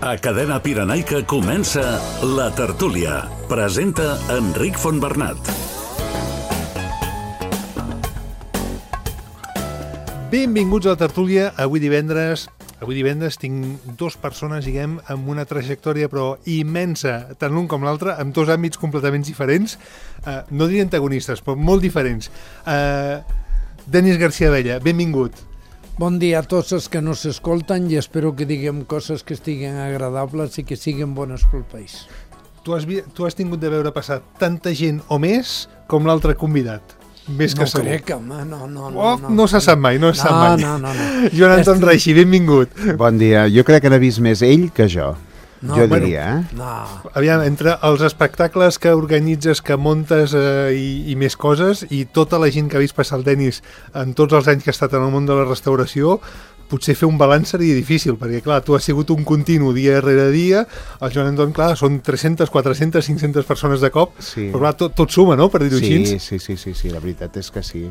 A Cadena Pirenaica comença La Tertúlia. Presenta Enric Fontbernat. Benvinguts a La Tertúlia. Avui divendres tinc dues persones, diguem, amb una trajectòria però immensa, tant l'un com l'altre, amb dos àmbits completament diferents. No diria antagonistes, però molt diferents. Denis García Abella, benvingut. Bon dia a tots els que no s'escolten i espero que diguem coses que estiguen agradables i que siguin bones pel país. Tu has tingut de veure passar tanta gent o més com l'altre convidat. Més que segur. Crec, home, no. No se sap mai, no se sap mai. No. Joan Anton Reixi, benvingut. Bon dia. Jo crec que n'ha vist més ell que jo. Jo diria, No. Aviam, entre els espectacles que organitzes, que montes i més coses, i tota la gent que ha vist passar el Denis en tots els anys que ha estat en el món de la restauració, potser fer un balanç seria difícil, perquè clar, tu has sigut un continu dia rere dia, el Joan Anton, clar, són 300, 400, 500 persones de cop, sí. Però clar, tot suma, no?, per dir-ho així. Sí, la veritat és que sí.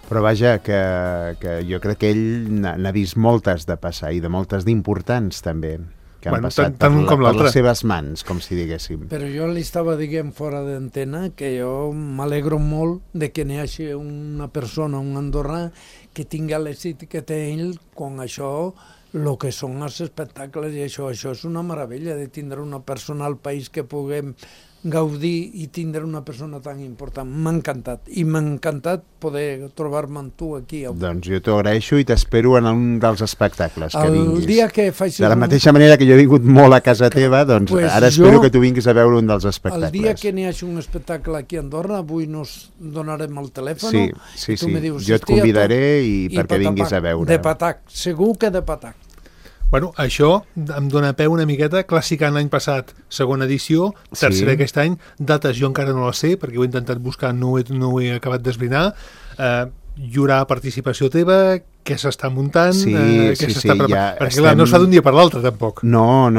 Però vaja, que jo crec que ell n'ha vist moltes de passar, i de moltes d'importants també, que han passat per les seves mans, com si diguéssim. Però jo li estava dient fora d'antena que jo m'alegro molt de que n'hi hagi una persona, un andorrà, que tingui l'èxit que té ell quan això, el que són els espectacles i això és una meravella de tindre una persona al país que puguem gaudir i tindre una persona tan important. M'ha encantat, i m'ha encantat poder trobar-me amb tu aquí avui. Doncs jo t'ho agraeixo i t'espero en un dels espectacles que vinguis. El dia que facis... De la mateixa manera que jo he vingut molt a casa teva, doncs ara espero que tu vinguis a veure un dels espectacles. El dia que n'hi hagi un espectacle aquí a Andorra, avui nos donarem el telèfon. Sí. Dius, jo et convidaré perquè vinguis a veure. De patac, segur que de patac. Bueno, això em dona peu una miqueta. Clàssica l'any passat, segona edició, tercera aquest any, dates jo encara no les sé, perquè ho he intentat buscar, no ho he acabat d'esbrinar. Hi haurà participació teva, què s'està muntant, què s'està preparant, perquè clar, no es fa d'un dia per l'altre tampoc. No.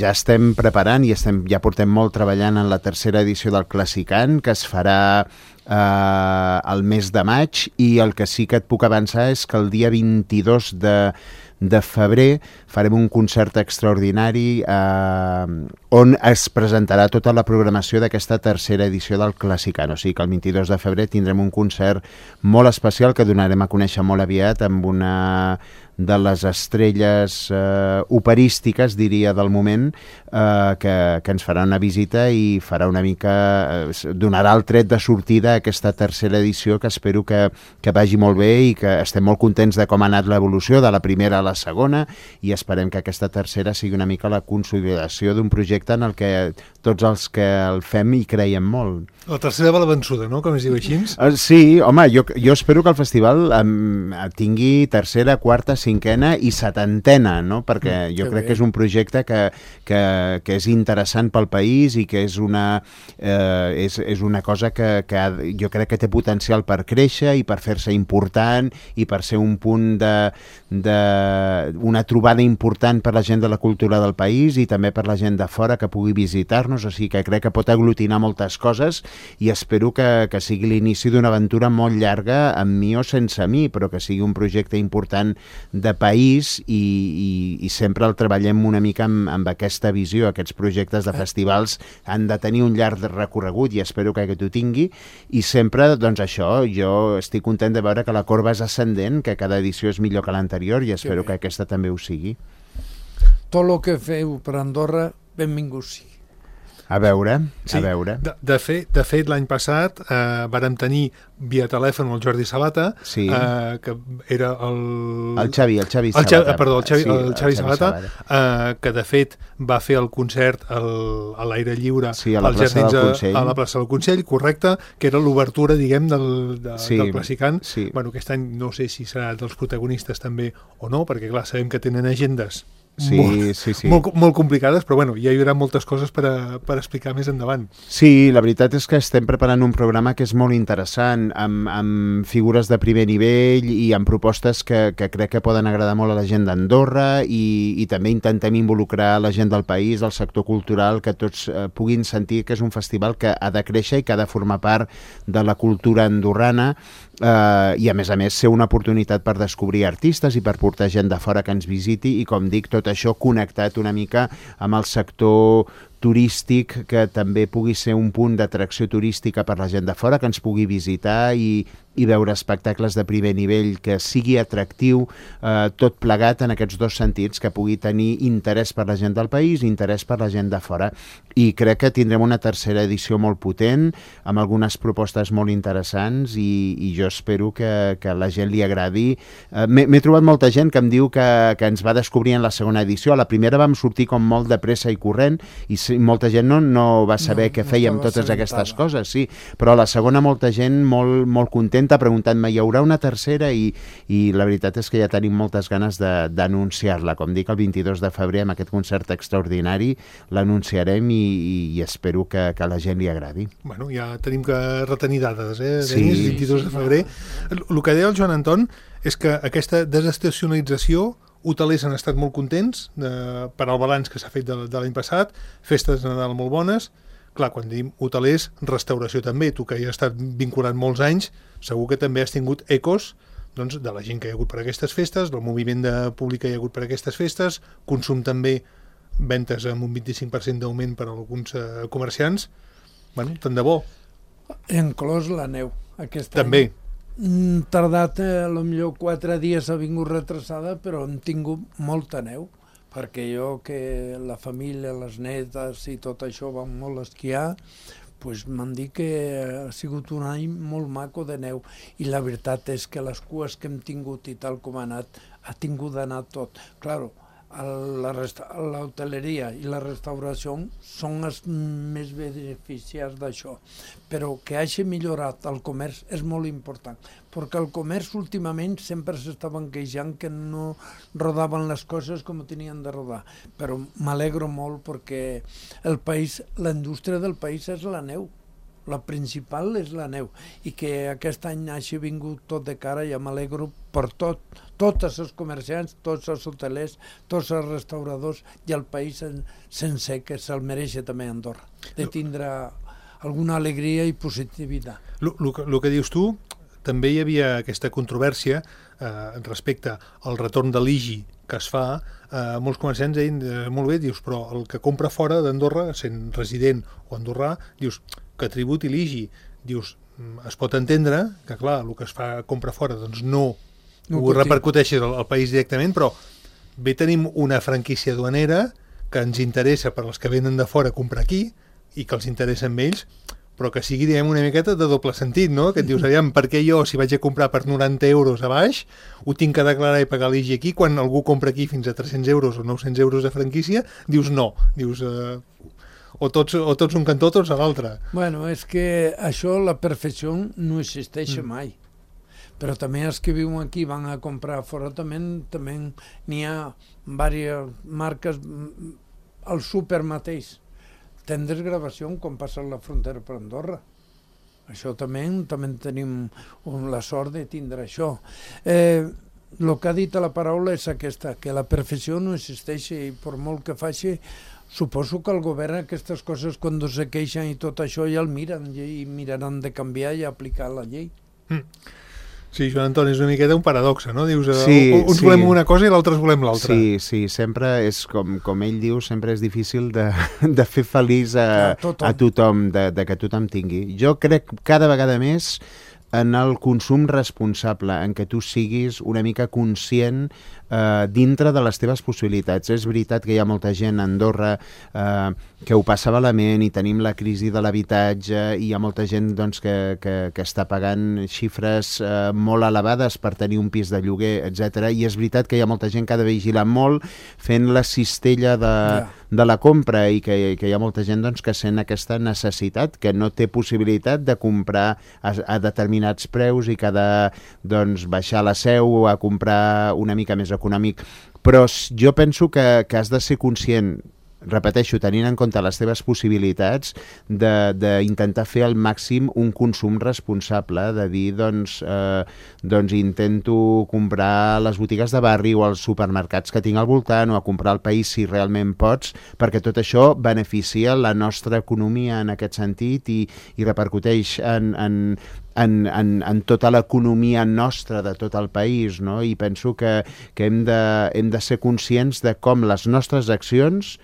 Ja estem preparant i ja portem molt treballant en la tercera edició del Classicant, que es farà el mes de maig, i el que sí que et puc avançar és que el dia 22 de febrer farem un concert extraordinari on es presentarà tota la programació d'aquesta tercera edició del Classicant. O sigui que el 22 de febrer tindrem un concert molt especial que donarem a conèixer molt aviat amb una de les estrelles operístiques, diria, del moment, que ens farà una visita i farà una mica... donarà el tret de sortida a aquesta tercera edició, que espero que vagi molt bé i que estem molt contents de com ha anat l'evolució de la primera a la segona, i esperem que aquesta tercera sigui una mica la consolidació d'un projecte en el que tots els que el fem hi creiem molt. La tercera va la vençuda, no?, com es diu així? Sí, home, jo espero que el festival tingui tercera, quarta, cinquena i setantena, no?, perquè jo crec que és un projecte que és interessant pel país i que és una cosa que jo crec que té potencial per créixer i per fer-se important i per ser un punt una trobada important per la gent de la cultura del país i també per la gent de fora que pugui visitar-nos, o sigui que crec que pot aglutinar moltes coses i espero que sigui l'inici d'una aventura molt llarga, amb mi o sense mi, però que sigui un projecte important de país i sempre el treballem una mica amb aquesta visió. Aquests projectes de festivals han de tenir un llarg recorregut i espero que ho tingui, i sempre, doncs això, jo estic content de veure que la corba és ascendent, que cada edició és millor que l'anterior i espero que aquesta també ho sigui. Tot el que feu per Andorra, benvingut sigui. A veure. De fet, l'any passat vàrem tenir via telèfon el Jordi Sabata, que era el Xavi Sabata, que de fet va fer el concert a l'aire lliure als Jardins a la plaça del Consell, correcte, que era l'obertura, diguem, del Classicant. Bueno, aquest any no sé si serà dels protagonistes també o no, perquè clar, sabem que tenen agendes molt complicades, però bueno, ja hi haurà moltes coses per explicar més endavant. Sí, la veritat és que estem preparant un programa que és molt interessant, amb figures de primer nivell i amb propostes que crec que poden agradar molt a la gent d'Andorra i també intentem involucrar la gent del país, el sector cultural, que tots puguin sentir que és un festival que ha de créixer i que ha de formar part de la cultura andorrana, i a més ser una oportunitat per descobrir artistes i per portar gent de fora que ens visiti, i com dic, tot tot això connectat una mica amb el sector turístic, que també pugui ser un punt d'atracció turística per la gent de fora, que ens pugui visitar i veure espectacles de primer nivell, que sigui atractiu, tot plegat en aquests dos sentits, que pugui tenir interès per la gent del país i interès per la gent de fora. I crec que tindrem una tercera edició molt potent, amb algunes propostes molt interessants, i jo espero que la gent li agradi. M'he trobat molta gent que em diu que ens va descobrir en la segona edició. A la primera vam sortir com molt de pressa i corrent, i molta gent no va saber què fèiem totes aquestes coses, sí, però a la segona molta gent molt contenta, preguntant-me, hi haurà una tercera? I la veritat és que ja tenim moltes ganes d'anunciar-la. Com dic, el 22 de febrer, amb aquest concert extraordinari, l'anunciarem i espero que a la gent li agradi. Bueno, ja tenim que retenir dades, Denis, 22 de febrer. El que deia el Joan Anton és que aquesta desestacionalització, hotelers han estat molt contents per al balanç que s'ha fet de l'any passat, festes de Nadal molt bones. Clar, quan diem hotelers, restauració també. Tu, que hi has estat vinculat molts anys, segur que també has tingut ecos de la gent que hi ha hagut per aquestes festes, del moviment públic que hi ha hagut per aquestes festes, consum també, ventes amb un 25% d'augment per a alguns comerciants. Bueno, tant de bo. Inclòs la neu, aquest també. any. Tardat, potser 4 dies ha vingut retrasada, però hem tingut molta neu, perquè jo, que la família, les netes i tot això van molt a esquiar, doncs m'han dit que ha sigut un any molt maco de neu, i la veritat és que les cues que hem tingut i tal com ha anat, ha tingut d'anar tot. Claro, l'hoteleria i la restauració són els més beneficiats d'això, però que hagi millorat el comerç és molt important, perquè el comerç últimament sempre s'estaven queixant que no rodaven les coses com tenien de rodar, però m'alegro molt perquè el país, la indústria del país és la neu. La principal és la neu, i que aquest any hagi vingut tot de cara, ja m'alegro per tots els comerciants, tots els hotelers, tots els restauradors i el país sencer, que se'l mereix també Andorra, de tindre alguna alegria i positivitat. El que dius tu, també hi havia aquesta controvèrsia respecte al retorn de l'IGI que es fa. Molts comerciants deien, molt bé, dius, però el que compra fora d'Andorra, sent resident o andorrà, dius, que tributi l'IGI. Dius, es pot entendre que, clar, el que es fa compra fora, doncs no ho repercuteixi al país directament, però bé, tenim una franquícia duanera que ens interessa per als que venen de fora comprar aquí i que els interessa amb ells, però que sigui, diguem, una miqueta de doble sentit, no? Que et dius, aviam, per què jo, si vaig a comprar per 90 euros a baix, ho tinc que declarar i pagar l'IGI aquí, quan algú compra aquí fins a 300 euros o 900 euros de franquícia, dius no, dius... O tots un cantó, tots a l'altre. Bueno, és que això, la perfecció, no existeix mai. Però també els que viuen aquí van a comprar fora, també n'hi ha diverses marques, al súper mateix. Tenen desgravació quan passen la frontera per Andorra. Això també tenim la sort de tindre això. El que ha dit la paraula és aquesta, que la perfecció no existeix, i per molt que faci, suposo que el govern aquestes coses, quan se queixen i tot això, ja el miren i miraran de canviar i aplicar la llei. Sí, Joan Antoni, és una miqueta un paradoxa, no? Dius, uns volem una cosa i l'altres volem l'altra. Sí, sempre és, com ell diu, sempre és difícil de fer feliç a tothom, de que tothom tingui. Jo crec cada vegada més en el consum responsable, en què tu siguis una mica conscient dintre de les teves possibilitats. És veritat que hi ha molta gent a Andorra que ho passa malament i tenim la crisi de l'habitatge i hi ha molta gent doncs, que està pagant xifres molt elevades per tenir un pis de lloguer, etc. I és veritat que hi ha molta gent que ha de vigilar molt fent la cistella de la compra i que hi ha molta gent doncs, que sent aquesta necessitat, que no té possibilitat de comprar a determinats preus i que ha de doncs, baixar la seu a comprar una mica més econòmic. Però jo penso que has de ser conscient, repeteixo, tenint en compte les teves possibilitats, d'intentar fer al màxim un consum responsable, de dir, doncs intento comprar a les botigues de barri o als supermercats que tinc al voltant, o a comprar al país si realment pots, perquè tot això beneficia la nostra economia en aquest sentit i repercuteix en en tota l'economia nostra de tot el país, no? I penso que hem de ser conscients de com les nostres accions,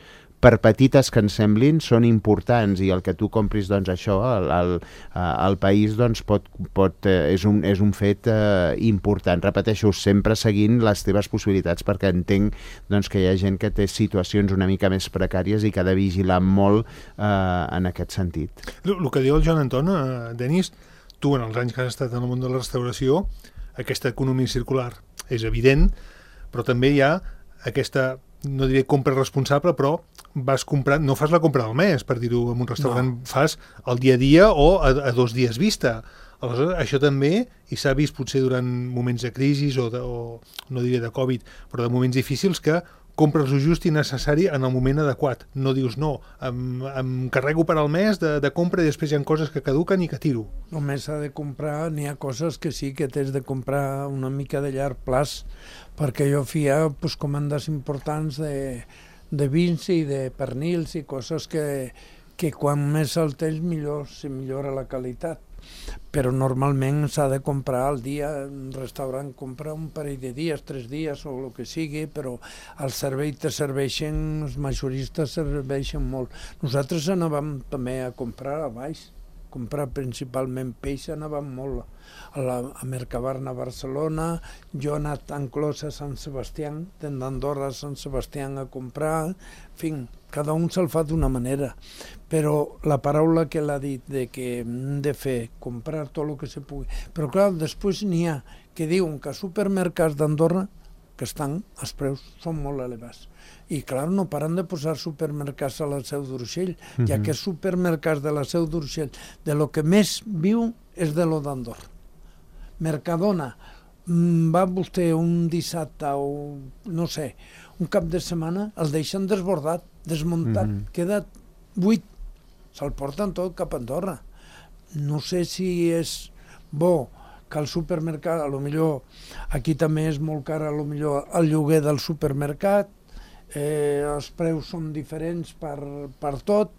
per petites que ens semblin, són importants, i el que tu compris, doncs, això, al país, doncs, és un fet important. Repeteixo, sempre seguint les teves possibilitats, perquè entenc, doncs, que hi ha gent que té situacions una mica més precàries i que ha de vigilar molt en aquest sentit. El que diu el Joan Anton, Denis, tu, en els anys que has estat en el món de la restauració, aquesta economia circular és evident, però també hi ha aquesta, no diré compra responsable, però vas comprant, no fas la compra del mes, per dir-ho en un restaurant, no. Fas el dia a dia o a 2 dies vista. Aleshores, això també, i s'ha vist potser durant moments de crisi o no diré de Covid, però de moments difícils, que compres el just i necessari en el moment adequat. No dius, no, em carrego per al mes de compra i després hi ha coses que caduquen i que tiro. Només s'ha de comprar, n'hi ha coses que sí que t'has de comprar una mica de llarg plaç, perquè jo feia comandes importants de vins i de pernils i coses que quan més el tens millor se millora la qualitat. Però normalment s'ha de comprar al dia, un restaurant compra un parell de dies, 3 dies o el que sigui, però al servei te serveixen, els majoristes serveixen molt. Nosaltres anàvem també a comprar a baix, comprar principalment peix, anàvem molt a Mercabarna a Barcelona, jo he anat a Enclos a Sant Sebastià, d'Andorra a Sant Sebastià a comprar, en fi, cada un se'l fa d'una manera, però la paraula que l'ha dit de que hem de fer, comprar tot el que se pugui, però clar, després n'hi ha que diuen que a supermercats d'Andorra que els preus són molt elevats. I clar, no paren de posar supermercats a la Seu d'Urgell, ja que supermercats de la Seu d'Urgell, de lo que més viu és de lo d'Andorra. Mercadona, va vostè un dissabte o no sé, un cap de setmana, el deixen desbordat, desmuntat, queda buit, se'l porten tot cap a Andorra. No sé si és bo que el supermercat, a lo millor aquí també és molt car, a lo millor el lloguer del supermercat, els preus són diferents per tot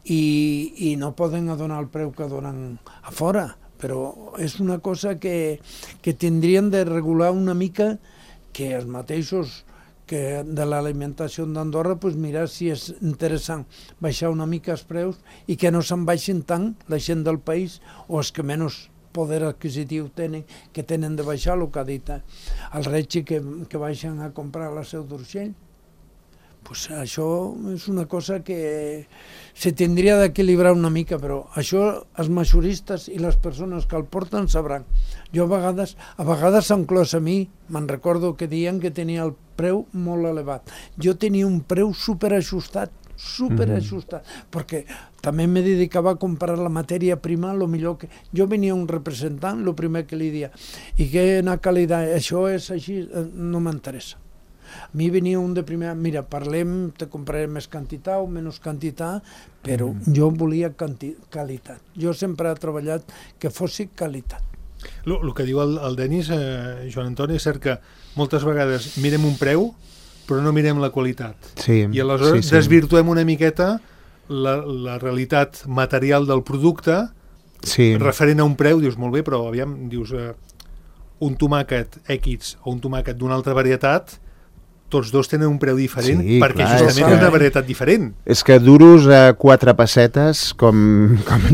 i no poden donar el preu que donen a fora, però és una cosa que tindrien de regular una mica, que els mateixos que de l'alimentació d'Andorra, mirar si és interessant baixar una mica els preus i que no se'n baixin tant la gent del país o els que menys poder adquisitiu tenen, que tenen de baixar, el que ha dit el Regi, que baixen a comprar a la Seu d'Urgell. Això és una cosa que se tindria d'equilibrar una mica, però això els majoristes i les persones que el porten sabran. Jo a vegades s'han clos a mi, me'n recordo que deien que tenia el preu molt elevat. Jo tenia un preu superajustat, perquè també me dedicava a comprar la matèria prima, lo millor que... Jo venia un representant, el primer que li dia, i que en qualitat, això és així, no m'interessa. A mi venia un de primer, mira, parlem, te compraré més quantitat o menys quantitat, però jo volia qualitat. Jo sempre he treballat que fossi qualitat. El que diu el Denis, Joan Antoni, és cert que moltes vegades mirem un preu, però no mirem la qualitat. Sí, i aleshores desvirtuem una miqueta la realitat material del producte referent a un preu. Dius, molt bé, però aviam, dius, un tomàquet X o un tomàquet d'una altra varietat, tots dos tenen un preu diferent, perquè justament és una varietat diferent. És que duros a 4 pessetes, com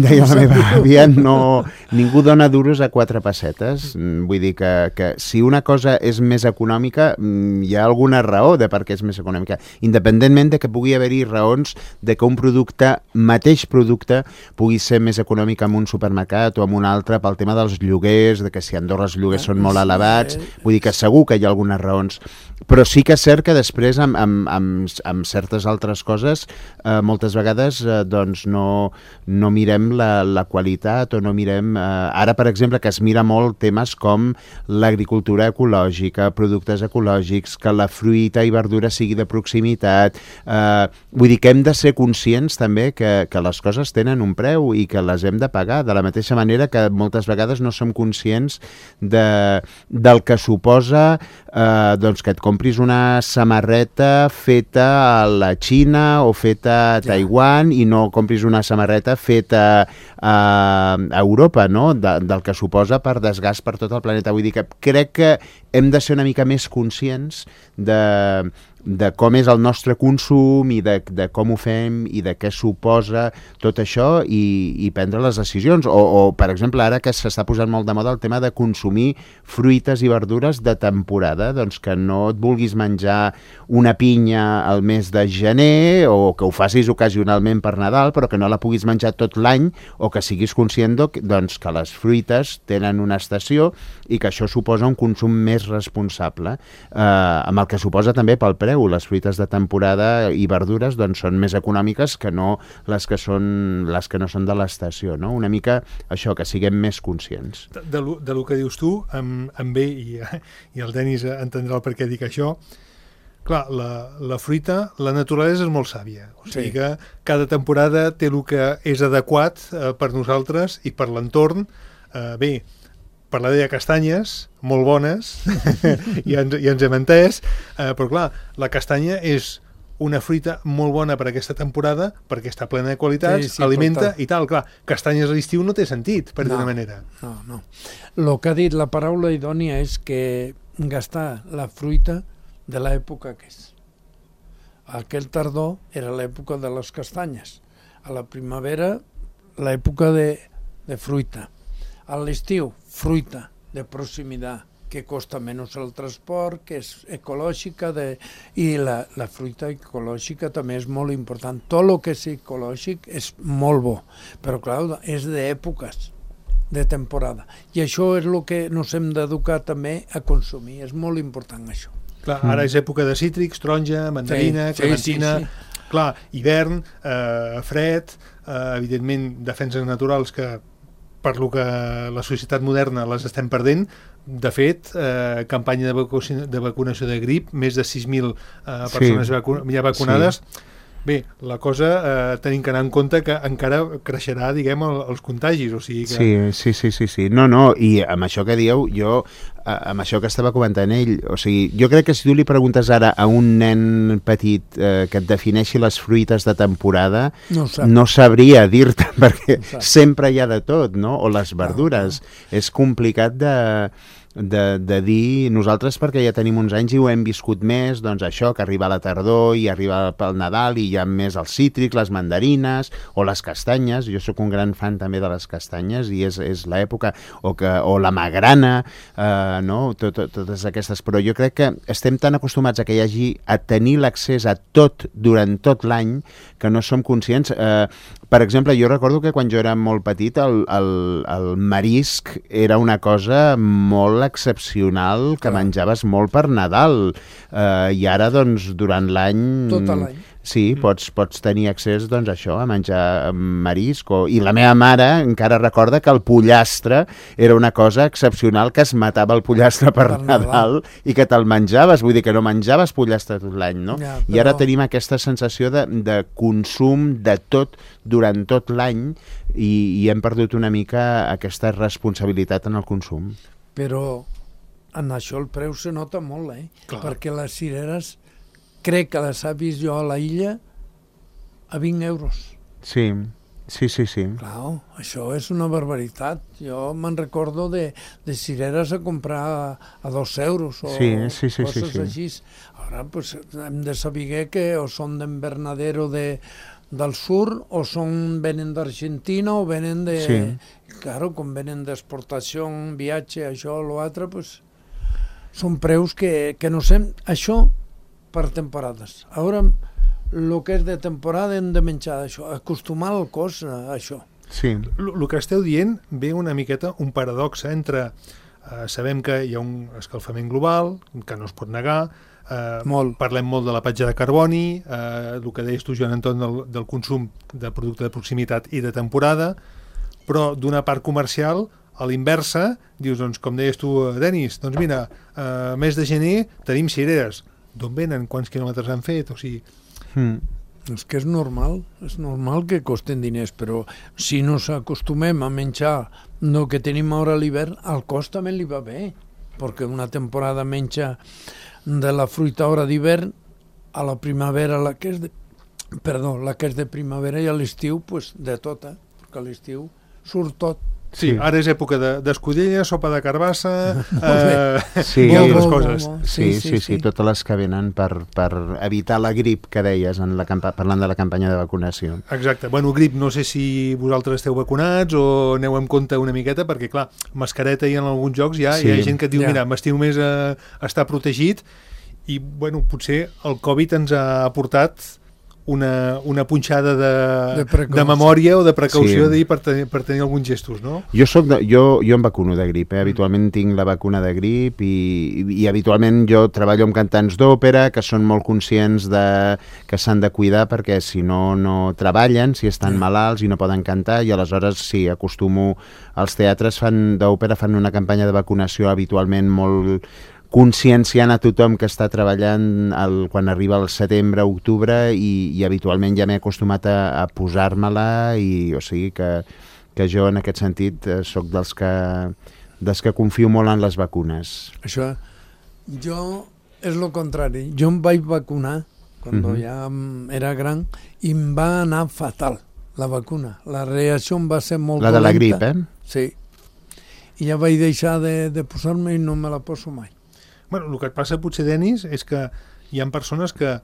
deia la meva àvia, ningú dona duros a 4 pessetes. Vull dir que si una cosa és més econòmica, hi ha alguna raó de per què és més econòmica, independentment de que pugui haver-hi raons de que un mateix producte pugui ser més econòmic en un supermercat o en un altre pel tema dels lloguers, de que si a Andorra els lloguers són molt elevats, vull dir que segur que hi ha algunes raons, però sí que és cert que després amb certes altres coses moltes vegades doncs no mirem la qualitat o no mirem... Ara, per exemple, que es mira molt temes com l'agricultura ecològica, productes ecològics, que la fruita i verdura sigui de proximitat. Vull dir que hem de ser conscients també que les coses tenen un preu i que les hem de pagar, de la mateixa manera que moltes vegades no som conscients del que suposa doncs que et compris una una samarreta feta a la Xina o feta a Taiwan i no compris una samarreta feta a Europa, no? Del que suposa per desgast per tot el planeta. Vull dir que crec que hem de ser una mica més conscients de com és el nostre consum i de com ho fem i de què suposa tot això i prendre les decisions. O, per exemple, ara que s'està posant molt de moda el tema de consumir fruites i verdures de temporada, doncs que no et vulguis menjar una pinya al mes de gener o que ho facis ocasionalment per Nadal, però que no la puguis menjar tot l'any, o que siguis conscient doncs, que les fruites tenen una estació i que això suposa un consum més responsable, amb el que suposa també pel preu. Les fruites de temporada i verdures doncs, són més econòmiques que no les que no són de l'estació, no? Una mica això, que siguem més conscients. De lo que dius tu, em ve, i el Denis entendrà el per què dic això. Clar, la fruita, la naturalesa és molt sàvia, o sigui que cada temporada té el que és adequat per nosaltres i per l'entorn. Bé, parlaré de castanyes, molt bones, ja ens hem entès, però clar, la castanya és una fruita molt bona per aquesta temporada perquè està plena de qualitats, alimenta i tal. Clar, castanyes a l'estiu no té sentit, per d'una manera. No. El que ha dit la paraula idònia és que gastar la fruita de l'època que és. Aquell tardor era l'època de les castanyes. A la primavera, l'època de fruita. A l'estiu, fruita de proximitat, que costa menys el transport, que és ecològica, i la fruita ecològica també és molt important. Tot el que és ecològic és molt bo, però clar, és d'èpoques, de temporada. I això és el que ens hem d'educar també a consumir, és molt important això. Clar, ara és època de cítrics, taronja, mandarina, clementina. Clar, hivern, fred, evidentment defenses naturals que per lo que la societat moderna les estem perdent. De fet, campanya de vacunació de grip, més de 6.000 persones ja vacunades. Bé, la cosa tenim que anar en compte que encara creixerà, diguem, els contagis, o sigui que... Sí. No, i amb això que dieu, jo, amb això que estava comentant ell, o sigui, jo crec que si tu li preguntes ara a un nen petit que et defineixi les fruites de temporada, no sabria dir-te, perquè sempre hi ha de tot, no? O les verdures. És complicat de dir nosaltres, perquè ja tenim uns anys i ho hem viscut més, doncs això, que arriba la tardor i arriba pel Nadal i hi ha més els cítrics, les mandarines o les castanyes. Jo sóc un gran fan també de les castanyes i és l'època, o la magrana, no? Totes aquestes, però jo crec que estem tan acostumats a que hi hagi a tenir l'accés a tot durant tot l'any que no som conscients. Per exemple, jo recordo que quan jo era molt petit el marisc era una cosa molt excepcional, que menjaves molt per Nadal, i ara doncs durant l'any... Tot l'any. Sí, pots tenir accés, doncs, això, a menjar marisc. I la meva mare encara recorda que el pollastre era una cosa excepcional, que es matava el pollastre per Nadal i que te'l menjaves, vull dir que no menjaves pollastre tot l'any, no? Ja, però... I ara tenim aquesta sensació de consum de tot durant tot l'any i hem perdut una mica aquesta responsabilitat en el consum. Però en això el preu se nota molt, Clar. Perquè les cireres crec que les ha vist jo a la illa a 20 euros. Sí. Clar, això és una barbaritat. Jo me'n recordo de cireres a comprar a 2 euros o coses així. Ara pues, hem de saber que o són d'Invernadero del sur o venen d'Argentina o venen de... Sí. Claro, com venen d'exportació, viatge, això o l'altre, pues, són preus que no sé... Això per temporades. Ara, el que és de temporada hem de menjar això, acostumar el cos a això. Sí. El que esteu dient ve una miqueta un paradox entre... sabem que hi ha un escalfament global, que no es pot negar, parlem molt de la petja de carboni, el que deies tu, Joan Anton, del consum de producte de proximitat i de temporada, però d'una part comercial, a l'inversa, dius, doncs, com deies tu, Denis, doncs mira, mes de gener tenim cireres. D'on venen? Quants quilòmetres han fet? O sigui... És que és normal que costen diners, però si no s'acostumem a menjar el que tenim ara a l'hivern, al cos també li va bé, perquè una temporada menja de la fruita hora d'hivern a la primavera, la que és de primavera, i a l'estiu, pues, de tot, perquè a l'estiu surt tot. Sí, ara és època d'escudella, sopa de carbassa, i altres coses. Sí, totes les que venen per evitar la grip que deies parlant de la campanya de vacunació. Exacte. Bueno, grip, no sé si vosaltres esteu vacunats o aneu en compte una miqueta, perquè, clar, mascareta i en alguns jocs hi ha gent que et diu, mira, m'estimo més a estar protegit, i, bueno, potser el Covid ens ha aportat una punxada de memòria o de precaució per tenir alguns gestos, no? Jo em vacuno de grip, habitualment tinc la vacuna de grip i habitualment jo treballo amb cantants d'òpera que són molt conscients que s'han de cuidar perquè si no treballen, si estan malalts i no poden cantar, i aleshores sí, acostumo, els teatres d'òpera fan una campanya de vacunació habitualment molt conscienciant a tothom que està treballant quan arriba el setembre, octubre, i habitualment ja m'he acostumat a posar-me-la, i o sigui que jo en aquest sentit sóc dels que confio molt en les vacunes. Això, jo és el contrari. Jo em vaig vacunar quan ja era gran i em va anar fatal la vacuna. La reacció em va ser molt dolenta. La de la grip, Sí. I ja vaig deixar de posar-me i no me la poso mai. Bueno, el que et passa potser, Denis, és que hi ha persones que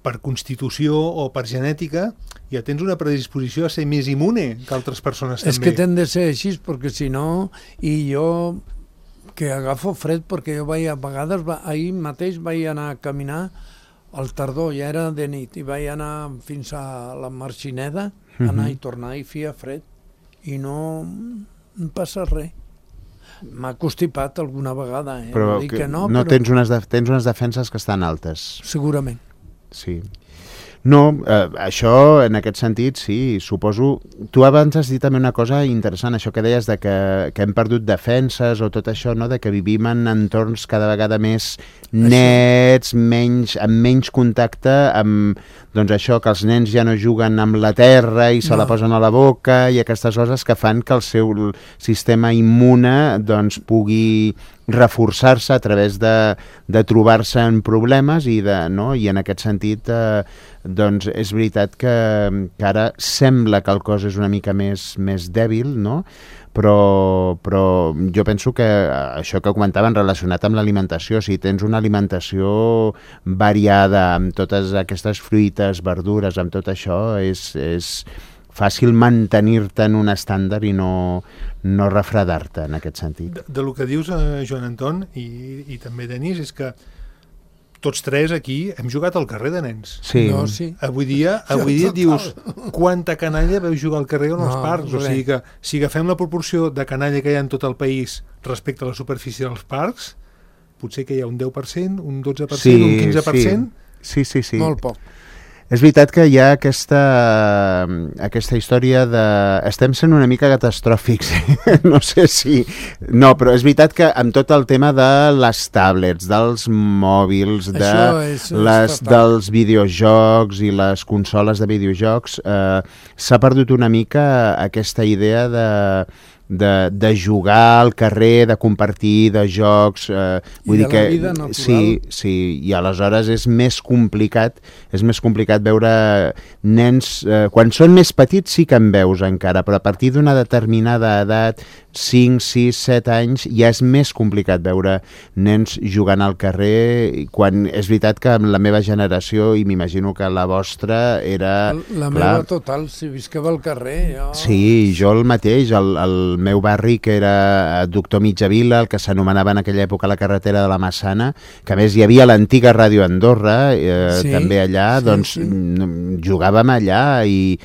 per constitució o per genètica ja tens una predisposició a ser més immune que altres persones també. És que t'hem de ser així, perquè si no, i jo que agafo fred, perquè jo a vegades, ahir mateix vaig anar a caminar al tardor, ja era de nit, i vaig anar fins a la Marxineda, anar i tornar i feia fred, i no passa res. M'ha constipat alguna vegada, però no dic que no, però... tens unes defenses que estan altes. Segurament. Sí. No, això, en aquest sentit, sí, suposo... Tu abans has dit també una cosa interessant, això que deies de que hem perdut defenses o tot això, no? De que vivim en entorns cada vegada més nets, amb menys contacte amb, doncs això, que els nens ja no juguen amb la terra i se la posen a la boca, i aquestes coses que fan que el seu sistema immune doncs pugui reforçar-se a través de trobar-se en problemes i en aquest sentit doncs és veritat que ara sembla que el cos és una mica més dèbil, no? Però jo penso que això que comentaven relacionat amb l'alimentació, si tens una alimentació variada amb totes aquestes fruites, verdures, amb tot això, és fàcil mantenir-te en un estàndard i no refredar-te en aquest sentit. De lo que dius, Joan Anton, i també Denis, és que tots tres aquí hem jugat al carrer de nens. Sí. No, sí. Avui dia et dius quanta canalla veu jugar al carrer o en els parcs. O sigui que si agafem la proporció de canalla que hi ha en tot el país respecte a la superfície dels parcs, potser que hi ha un 10%, un 12%, un 15%. Sí. Molt poc. És veritat que hi ha aquesta història de... Estem sent una mica catastròfics, no sé si... No, però és veritat que amb tot el tema de les tablets, dels mòbils, dels videojocs i les consoles de videojocs, s'ha perdut una mica aquesta idea de jugar al carrer, de compartir, de jocs... vull dir que la vida natural. Sí, i aleshores és més complicat veure nens... Quan són més petits sí que en veus encara, però a partir d'una determinada edat, 5, 6, 7 anys, ja és més complicat veure nens jugant al carrer, quan és veritat que amb la meva generació, i m'imagino que la vostra, era... Meva total, si visqueva al carrer... Jo... Sí, jo el mateix, el meu barri, que era Doctor Mitjavila, el que s'anomenava en aquella època la carretera de la Massana, que a més hi havia l'antiga Ràdio Andorra, també allà, doncs jugàvem allà, i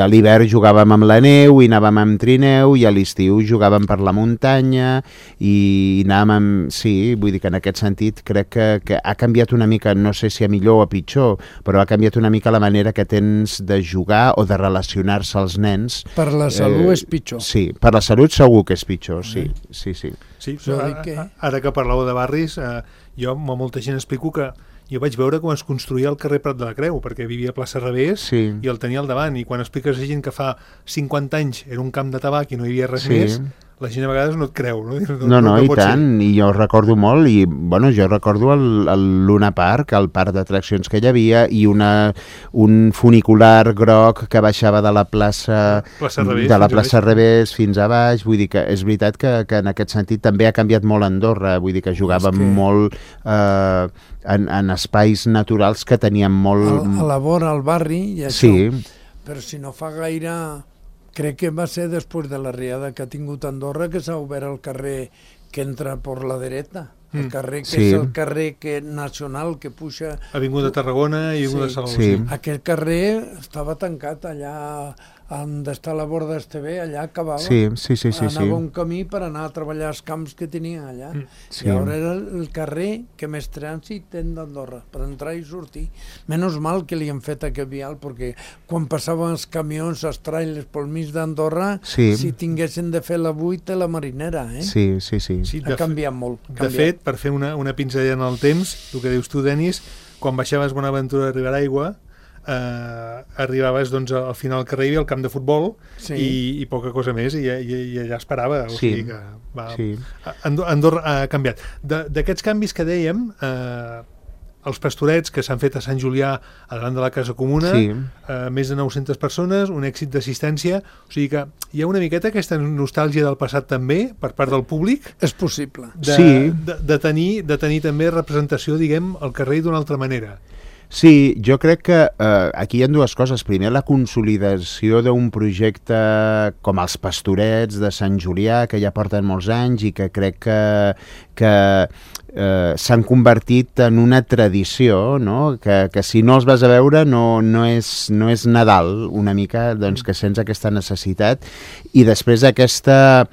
a l'hivern jugàvem amb la neu, i anàvem amb trineu, i a l'estiu jugàvem per la muntanya, i anàvem amb... Sí, vull dir que en aquest sentit crec que ha canviat una mica, no sé si a millor o a pitjor, però ha canviat una mica la manera que tens de jugar o de relacionar-se als nens. Per la salut és pitjor. Sí, per la salut segur que és pitjor, sí. Sí, ara que parleu de barris, jo a molta gent explico que jo vaig veure com es construïa el carrer Prat de la Creu, perquè vivia a Plaça Revés i el tenia al davant, i quan expliques a gent que fa 50 anys era un camp de tabac i no hi havia res més, la gent a vegades no et creu, no? No, i tant, i jo recordo molt, i bueno, jo recordo el Luna Park, el parc d'atraccions que hi havia, i un funicular groc que baixava de la plaça Revés fins a baix, vull dir que és veritat que en aquest sentit també ha canviat molt Andorra, vull dir que jugàvem molt en espais naturals que teníem molt... A la vora, al barri, i això, però si no fa gaire... Crec que va ser després de la riada que ha tingut Andorra que s'ha obert el carrer que entra per la dreta. El carrer que és el carrer nacional que puja... Avinguda Tarragona i Avinguda Salou. Aquest carrer estava tancat allà on està la Borda Esteve, allà acabava. Anava un camí per anar a treballar als camps que tenia allà. I ara era el carrer que més trànsit té d'Andorra, per entrar i sortir. Menys mal que li han fet aquest vial, perquè quan passaven els camions, els trailers pel mig d'Andorra, si tinguessin de fer la 8 a la Marinera, ha canviat molt. De fet, per fer una pinzellada en el temps, el que dius tu, Denis, quan baixaves Bonaventura a Riberaigua, arribaves al final del carrer, hi havia el camp de futbol i poca cosa més, i allà esperava. O sigui que Andorra ha canviat. D'aquests canvis que dèiem, els pastorets que s'han fet a Sant Julià a davant de la Casa Comuna, més de 900 persones, un èxit d'assistència, o sigui que hi ha una miqueta aquesta nostàlgia del passat també per part del públic. És possible. De tenir també representació, diguem, al carrer d'una altra manera. Sí, jo crec que aquí hi ha dues coses. Primer, la consolidació d'un projecte com els Pastorets de Sant Julià, que ja porten molts anys i que crec que s'han convertit en una tradició, no? Que si no els vas a veure no és Nadal, una mica, doncs que sents aquesta necessitat. I després aquesta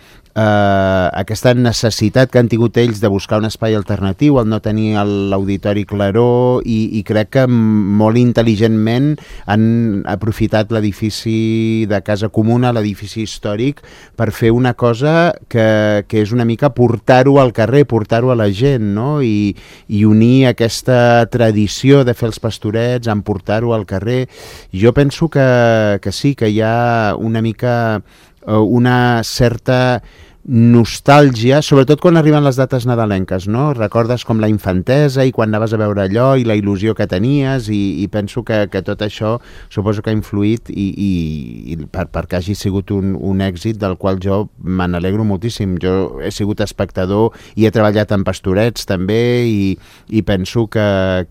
necessitat que han tingut ells de buscar un espai alternatiu, el no tenir l'auditori claró, i crec que molt intel·ligentment han aprofitat l'edifici de Casa Comuna, l'edifici històric, per fer una cosa que és una mica portar-ho al carrer, portar-ho a la gent, no? I unir aquesta tradició de fer els pastorets, en portar-ho al carrer. Jo penso que sí, que hi ha una mica una certa nostàlgia, sobretot quan arriben les dates nadalenques, no? Recordes com la infantesa i quan anaves a veure allò i la il·lusió que tenies, i penso que tot això suposo que ha influït i perquè hagi sigut un èxit del qual jo me n'alegro moltíssim. Jo he sigut espectador i he treballat en pastorets també, i penso que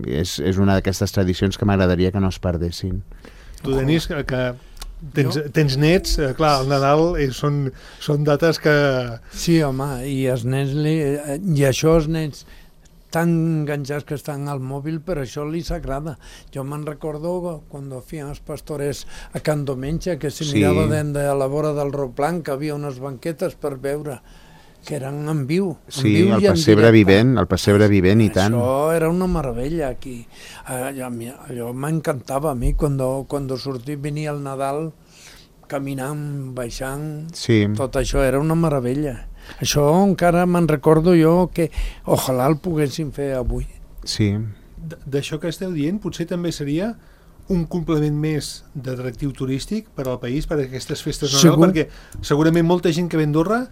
és una d'aquestes tradicions que m'agradaria que no es perdessin. Tu, Denis, que tens nets, clar, el Nadal són dates que... Sí, home, i els nens i això els nens tan enganxats que estan al mòbil, però això li s'agrada. Jo me'n recordo quan feien els pastores a Can Domenja, que se mirava de la vora del Roplan, que havia unes banquetes per veure, que eren en viu. Sí, el pessebre vivent, i tant. Això era una meravella aquí. Allò m'encantava a mi, quan sortia, venia el Nadal, caminant, baixant, tot això era una meravella. Això encara me'n recordo jo que ojalà el poguéssim fer avui. Sí. D'això que esteu dient, potser també seria un complement més d'atractiu turístic per al país, per a aquestes festes de Nadal, perquè segurament molta gent que ve a Andorra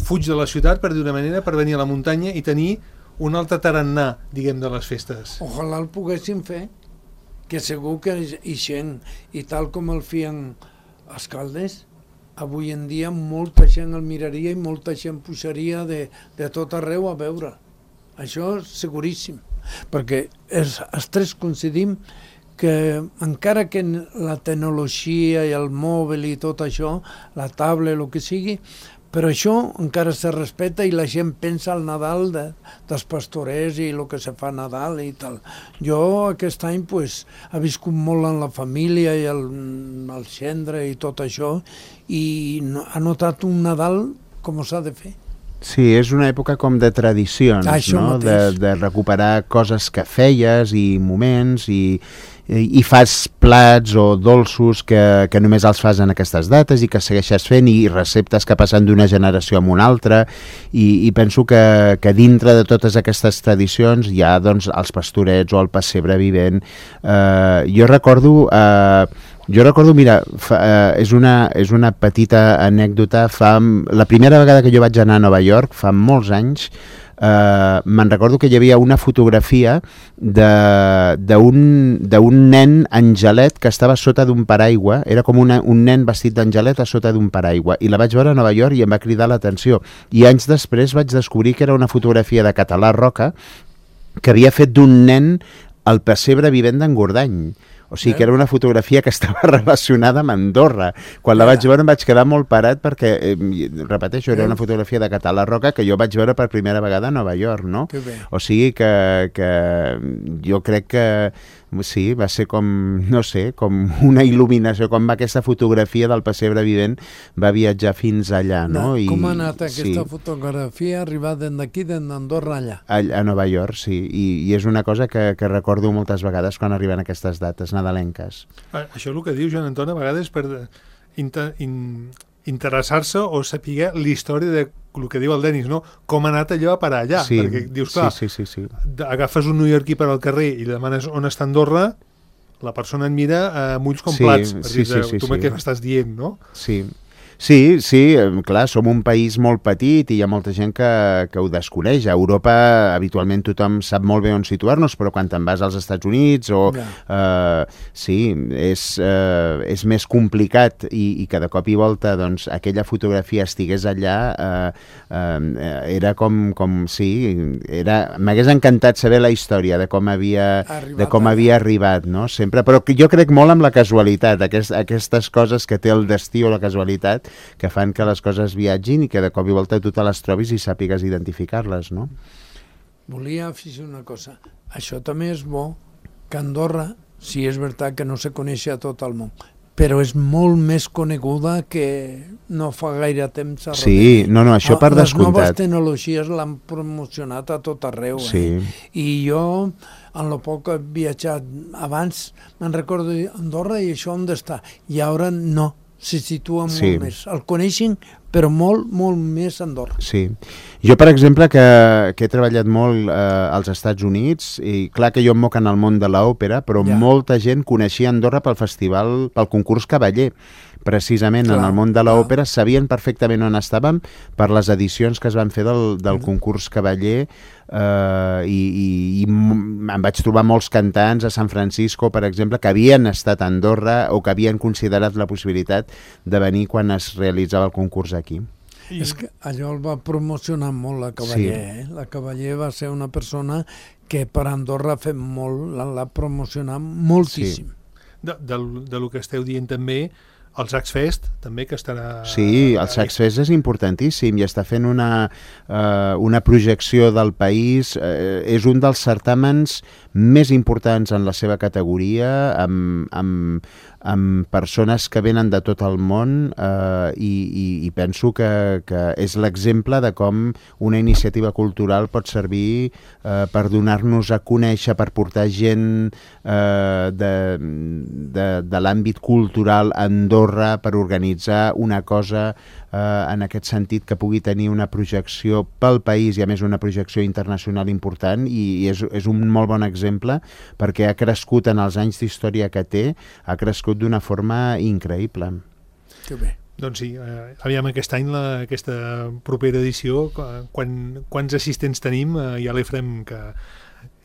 fuig de la ciutat, per dir una manera, per venir a la muntanya i tenir un altre tarannà, diguem, de les festes. Ojalà el poguéssim fer, que segur que hi gent, i tal com el feien els Caldes, avui en dia molta gent el miraria i molta gent pujaria de tot arreu a veure. Això és seguríssim, perquè els tres coincidim que encara que la tecnologia i el mòbil i tot això, la tablet, el que sigui, però això encara se respecta i la gent pensa al Nadal dels pastorers i el que se fa a Nadal i tal. Jo aquest any he viscut molt en la família i el gendre i tot això, i ha notat un Nadal com s'ha de fer. Sí, és una època com de tradicions, no? De recuperar coses que feies i moments, i fas plats o dolços que només els fas en aquestes dates i que segueixes fent, i receptes que passen d'una generació a una altra, i penso que dintre de totes aquestes tradicions hi ha, doncs, els pastorets o el pessebre vivent. Jo recordo Jo recordo, mira, és una petita anècdota. La primera vegada que jo vaig anar a Nova York, fa molts anys, me'n recordo que hi havia una fotografia d'un nen angelet que estava sota d'un paraigua, era com un nen vestit d'angelet a sota d'un paraigua, i la vaig veure a Nova York i em va cridar l'atenció, i anys després vaig descobrir que era una fotografia de Català Roca que havia fet d'un nen al pessebre vivent d'Engordany. O sigui, que era una fotografia que estava relacionada amb Andorra. Quan la vaig veure em vaig quedar molt parat perquè, repeteixo, era una fotografia de Català Roca que jo vaig veure per primera vegada a Nova York, no? O sigui que jo crec que sí, va ser com, no sé, com una il·luminació, com aquesta fotografia del pessebre vivent va viatjar fins allà, no? Com ha anat aquesta fotografia, arribar d'aquí, d'Andorra allà? A Nova York, sí, i és una cosa que recordo moltes vegades quan arriben aquestes dates nadalenques. Això és el que diu Joan Anton, a vegades per interessar-se o saber la història de el que diu el Denis, no? Com ha anat allò a parar allà, perquè dius, clar, agafes un neoyorquí per al carrer i li demanes on està Andorra, la persona et mira amb ulls com plats, per dir, tu què m'estàs dient, no? Sí, clar, som un país molt petit i hi ha molta gent que ho desconeix. A Europa habitualment tothom sap molt bé on situar-nos, però quan te'n vas als Estats Units sí, és més complicat i que de cop i volta doncs, aquella fotografia estigués allà era com sí, m'hagués encantat saber la història de com havia arribat, no? Sempre, però jo crec molt en la casualitat, aquestes coses que té el destí o la casualitat que fan que les coses viatgin i que de cop i volta tu te les trobis i sàpigues identificar-les, no? Volia afegir una cosa. Això també és bo, que Andorra, sí és veritat que no se coneix a tot el món, però és molt més coneguda que no fa gaire temps a Rodella. Sí, no, això per descomptat. Les noves tecnologies l'han promocionat a tot arreu. I jo, en lo poc que he viatjat abans, me'n recordo Andorra i això on està. I ara no. Se situa molt més. El coneixen, però molt, molt més a Andorra. Sí. Jo, per exemple, que he treballat molt als Estats Units, i clar que jo em moc en el món de l'òpera, però molta gent coneixia Andorra pel concurs Cavaller. Precisament en el món de l'òpera sabien perfectament on estàvem per les edicions que es van fer del concurs Cavaller i em vaig trobar molts cantants a San Francisco, per exemple, que havien estat a Andorra o que havien considerat la possibilitat de venir quan es realitzava el concurs aquí. És que allò el va promocionar molt la Cavaller. La Cavaller va ser una persona que per Andorra ha fet molt, l'ha promocionat moltíssim. Del que esteu dient també, el Sacs Fest també, que estarà... Sí, el Sacs Fest és importantíssim i està fent una projecció del país. És un dels certàmens més importants en la seva categoria, amb persones que venen de tot el món i penso que és l'exemple de com una iniciativa cultural pot servir per donar-nos a conèixer, per portar gent de l'àmbit cultural a Andorra, per organitzar una cosa en aquest sentit que pugui tenir una projecció pel país i a més una projecció internacional important, i és un molt bon exemple perquè ha crescut en els anys d'història que té, ha crescut d'una forma increïble. Que bé. Doncs sí, aviam aquest any, aquesta propera edició, quants assistents tenim, ja l'Efrem, que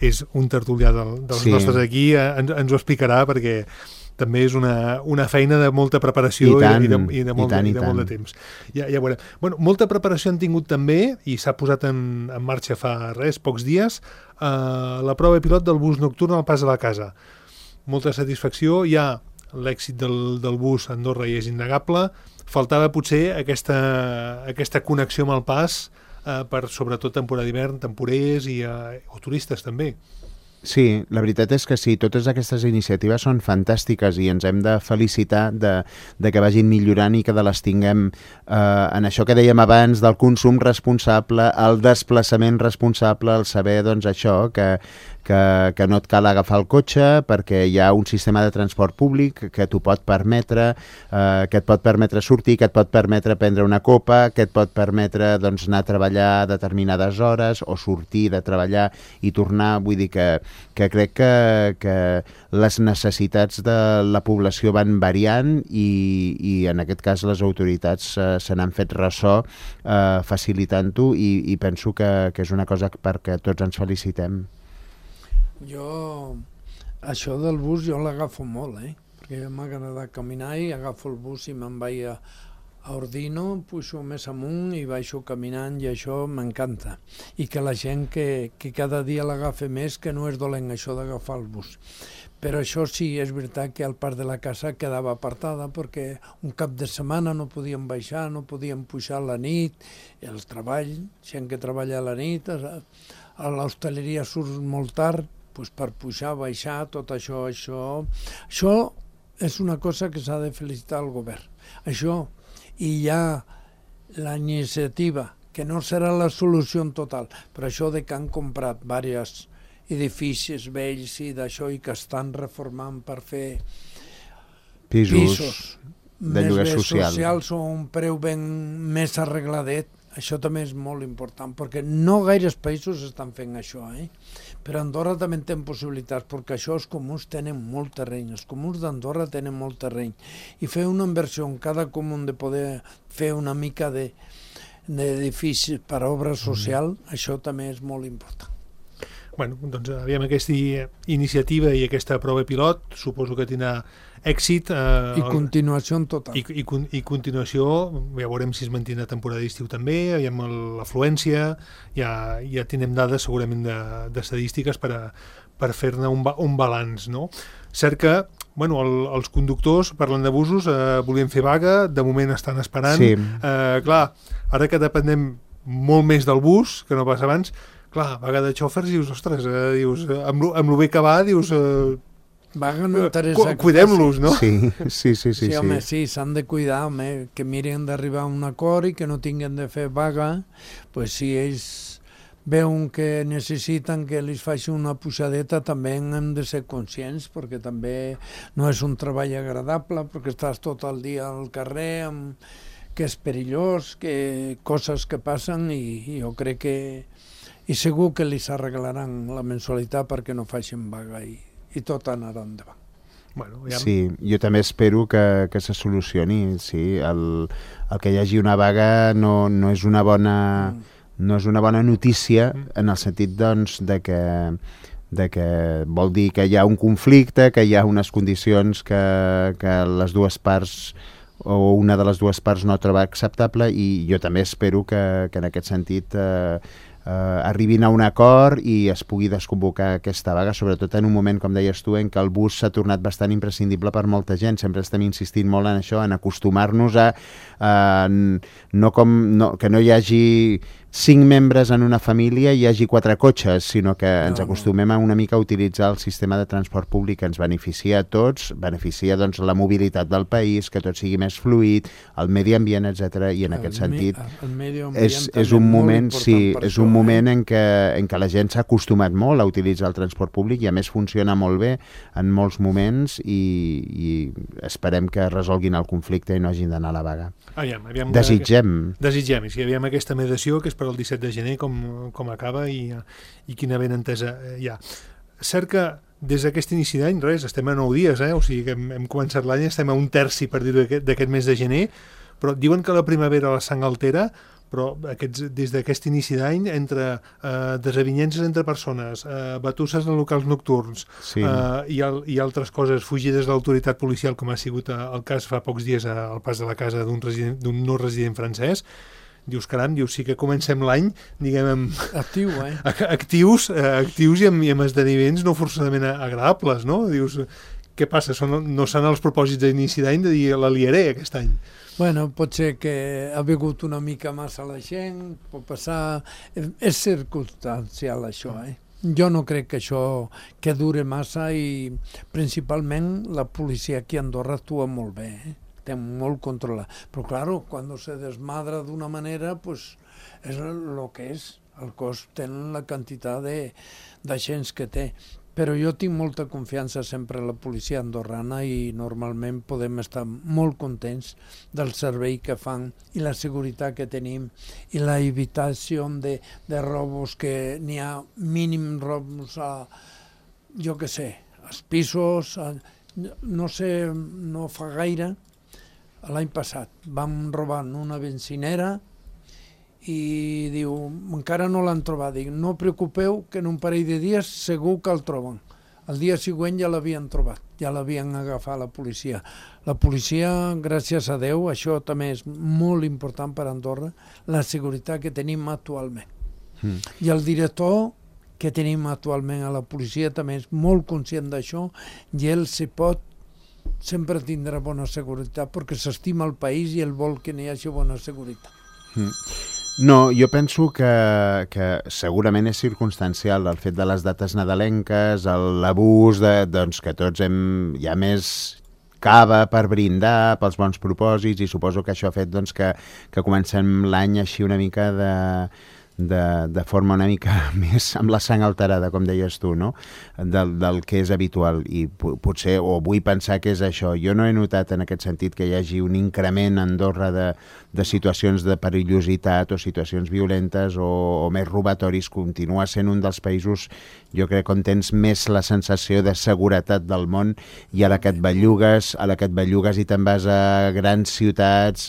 és un tertulià dels nostres aquí, ens ho explicarà, perquè també és una feina de molta preparació i de molt de temps. Ja veurem. Bueno, molta preparació han tingut també, i s'ha posat en marxa fa pocs dies, la prova pilot del bus nocturn al Pas de la Casa. Molta satisfacció, ja l'èxit del bus a Andorra ja és innegable, faltava potser aquesta connexió amb el Pas per sobretot temporada d'hivern, temporers o turistes també. Sí, la veritat és que sí, totes aquestes iniciatives són fantàstiques i ens hem de felicitar de que vagin millorant i que les tinguem en això que dèiem abans del consum responsable, el desplaçament responsable, el saber, doncs, això, que que no et cal agafar el cotxe perquè hi ha un sistema de transport públic que t'ho pot permetre, que et pot permetre sortir, que et pot permetre prendre una copa, que et pot permetre doncs, anar a treballar a determinades hores o sortir de treballar i tornar. Vull dir que crec que les necessitats de la població van variant i en aquest cas les autoritats se n'han fet ressò facilitant-ho i penso que és una cosa perquè tots ens felicitem. Jo, això del bus jo l'agafo molt, perquè m'agrada caminar i agafo el bus i me'n vaig a Ordino, pujo més amunt i baixo caminant i això m'encanta. I que la gent que cada dia l'agafa més, que no és dolent això d'agafar el bus. Però això sí, és veritat que al parc de la casa quedava apartada perquè un cap de setmana no podíem baixar, no podíem pujar a la nit, el treball, gent que treballa a la nit, a l'hostaleria surt molt tard, doncs per pujar, baixar, tot això. Això és una cosa que s'ha de felicitar al govern. Això, i hi ha la iniciativa, que no serà la solució en total, però això de que han comprat diversos edificis vells i d'això i que estan reformant per fer pisos de lloguer socials o un preu ben més arregladet. Això també és molt important, perquè no gaires països estan fent això, Però Andorra també té possibilitats, perquè això els comuns tenen molt terreny, els comuns d'Andorra tenen molt terreny, i fer una inversió en cada comú de poder fer una mica d'edificis per obra social, això també és molt important. Bueno, doncs aviam aquesta iniciativa i aquesta prova pilot, suposo que tindrà èxit. I continuació en total. I continuació, ja veurem si es manté la temporada d'estiu també, aviam l'afluència, ja tindrem dades segurament d'estadístiques per fer-ne un balanç, no? Cert que, bueno, els conductors, parlant d'abusos, volien fer vaga, de moment estan esperant. Sí. Clar, ara que depenem molt més del bus, que no passa abans, clar, vaga de xòfers, dius, ostres, amb lo bé que va, dius... Vaga no interessa. Cuidem-los, no? Sí, home, sí, s'han de cuidar, home, que miren d'arribar a un acord i que no tinguin de fer vaga, pues si ells veuen que necessiten que els faci una pujadeta, també hem de ser conscients, perquè també no és un treball agradable, perquè estàs tot el dia al carrer, que és perillós, que coses que passen, i jo crec que... I segur que els arreglaran la mensualitat perquè no facin vaga i tot anarà endavant. Bueno, sí, jo també espero que se solucioni. Sí, el que hi hagi una vaga no és una bona notícia en el sentit doncs, de que vol dir que hi ha un conflicte, que hi ha unes condicions que les dues parts o una de les dues parts no troba acceptable, i jo també espero que en aquest sentit arribin a un acord i es pugui desconvocar aquesta vaga, sobretot en un moment, com deies tu, en què el bus s'ha tornat bastant imprescindible per molta gent. Sempre estem insistint molt en això, en acostumar-nos a que no hi hagi 5 membres en una família i hi hagi 4 cotxes, sinó que ens acostumem a una mica a utilitzar el sistema de transport públic que ens beneficia a tots, beneficia doncs, la mobilitat del país, que tot sigui més fluid, el medi ambient, etc. I en aquest sentit és un moment, és un moment en què la gent s'ha acostumat molt a utilitzar el transport públic i a més funciona molt bé en molts moments, i esperem que resolguin el conflicte i no hagin d'anar a la vaga. Desitgem, i si aviam aquesta mediació, que és per el 17 de gener, com acaba i quina ben entesa hi ha. Cert que des d'aquest inici d'any, estem a 9 dies, o sigui que hem començat l'any, estem a un terci, per dir-ho, d'aquest mes de gener, però diuen que la primavera la sang altera, però des d'aquest inici d'any, entre desavinences entre persones, batusses en locals nocturns i altres coses, fugides de l'autoritat policial, com ha sigut el cas fa pocs dies al pas de la casa d'un no resident francès, dius, caram, sí que comencem l'any, diguem, actius i amb esdeveniments no forçadament agradables, no? Dius, què passa? No són els propòsits d'inici d'any de dir la liaré aquest any. Bueno, pot ser que ha begut una mica massa la gent, pot passar... És circumstancial, això, Jo no crec que això que dure massa, i principalment la policia aquí a Andorra actua molt bé, té molt controlat. Però, claro, quan se desmadra d'una manera, pues és el que és. El cos té la quantitat d'agents que té. Però jo tinc molta confiança sempre en la policia andorrana i normalment podem estar molt contents del servei que fan i la seguretat que tenim i la evitació de robos, que n'hi ha mínim robos jo què sé, als pisos, no sé, no fa gaire, l'any passat vam robar una benzinera i diu, encara no l'han trobat. Dic, no preocupeu, que en un parell de dies segur que el troben. El dia següent ja l'havien trobat, ja l'havien agafat la policia. La policia, gràcies a Déu, això també és molt important per Andorra, la seguretat que tenim actualment. I el director que tenim actualment a la policia també és molt conscient d'això i ell, si pot, sempre tindrà bona seguretat perquè s'estima el país i ell vol que n'hi hagi bona seguretat. No, jo penso que segurament és circumstancial el fet de les dates nadalenques, l'abús doncs, que tots hi ha més cava per brindar pels bons propòsits i suposo que això ha fet doncs, que comencem l'any així una mica de forma una mica més amb la sang alterada, com deies tu, no? Del que és habitual, i potser, o vull pensar que és això. Jo no he notat en aquest sentit que hi hagi un increment a Andorra de situacions de perillositat o situacions violentes o més robatoris. Continua sent un dels països, jo crec, on tens més la sensació de seguretat del món, i a la que et bellugues i te'n vas a grans ciutats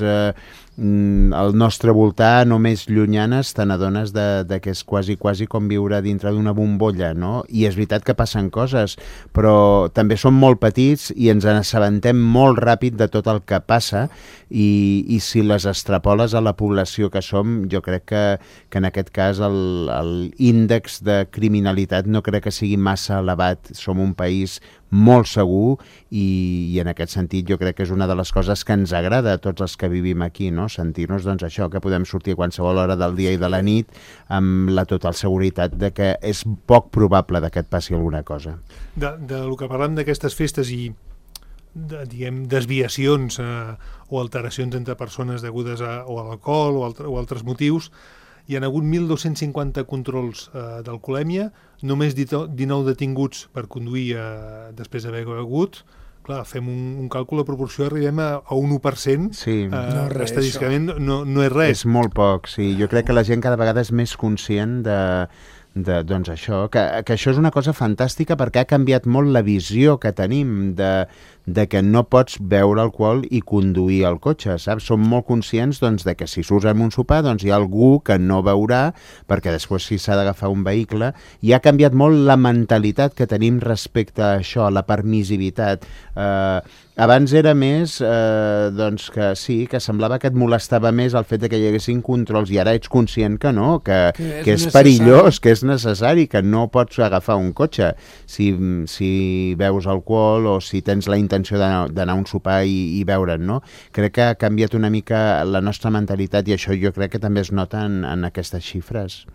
al nostre voltant o més llunyanes, te n'adones de que és quasi com viure dintre d'una bombolla, no? I és veritat que passen coses, però també som molt petits i ens n'assabentem molt ràpid de tot el que passa, i si les extrapoles a la població que som, jo crec que en aquest cas l'índex de criminalitat no crec que sigui massa elevat. Som un país molt segur i en aquest sentit jo crec que és una de les coses que ens agrada a tots els que vivim aquí, no? Sentir-nos doncs això, que podem sortir a qualsevol hora del dia i de la nit amb la total seguretat de que és poc probable que et passi alguna cosa. Del que parlem d'aquestes festes i diguem desviacions o alteracions entre persones degudes a l'alcohol o altres motius, hi ha hagut 1.250 controls d'alcoholèmia, només 19 detinguts per conduir després d'haver begut. Clar, fem un càlcul de proporció, arribem a un 1%, sí. Estadísticament no és res. És molt poc, sí. Jo crec que la gent cada vegada és més conscient doncs això, que això és una cosa fantàstica perquè ha canviat molt la visió que tenim de que no pots beure alcohol i conduir el cotxe, saps? Som molt conscients doncs, de que si surts amb un sopar doncs, hi ha algú que no beurà perquè després si s'ha d'agafar un vehicle, i ha canviat molt la mentalitat que tenim respecte a això, a la permissivitat. Abans era més doncs que sí, que semblava que et molestava més el fet de que hi haguessin controls, i ara ets conscient que no, que és perillós, que és necessari, que no pots agafar un cotxe si beus alcohol o si tens la intenció d'anar a un sopar i beure'n, no? Crec que ha canviat una mica la nostra mentalitat, i això jo crec que també es nota en aquestes xifres.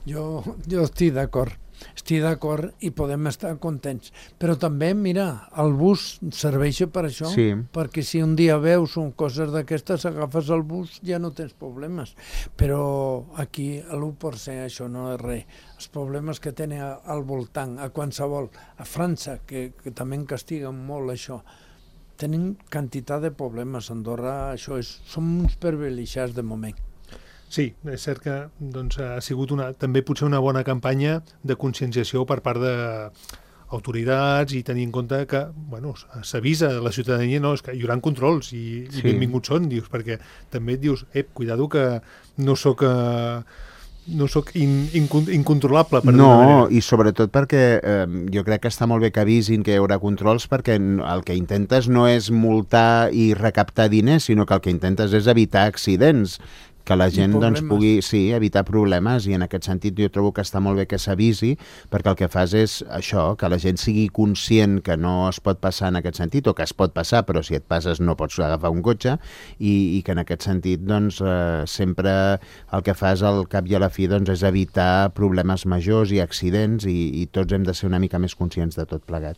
Jo estic d'acord. Estic d'acord i podem estar contents. Però també, mira, el bus serveix per això, sí. Perquè si un dia veus coses d'aquestes, agafes el bus, ja no tens problemes. Però aquí l'1% això no és res. Els problemes que tenen al voltant, a qualsevol, a França, que també castiguen molt això, tenen quantitat de problemes. A Andorra això som uns privilegiats de moment. Sí, és cert que doncs, ha sigut també potser una bona campanya de conscienciació per part d'autoritats, i tenir en compte que s'avisa a la ciutadania, no, és que hi haurà controls i benvinguts són, dius, perquè també et dius, cuidado que no sóc incontrolable. No, i sobretot perquè jo crec que està molt bé que avisin que hi haurà controls, perquè el que intentes no és multar i recaptar diners, sinó que el que intentes és evitar accidents, que la gent doncs, pugui evitar problemes, i en aquest sentit jo trobo que està molt bé que s'avisi, perquè el que fas és això, que la gent sigui conscient que no es pot passar en aquest sentit, o que es pot passar, però si et passes no pots agafar un cotxe, i que en aquest sentit doncs, sempre el que fas al cap i a la fi doncs, és evitar problemes majors i accidents, i tots hem de ser una mica més conscients de tot plegat.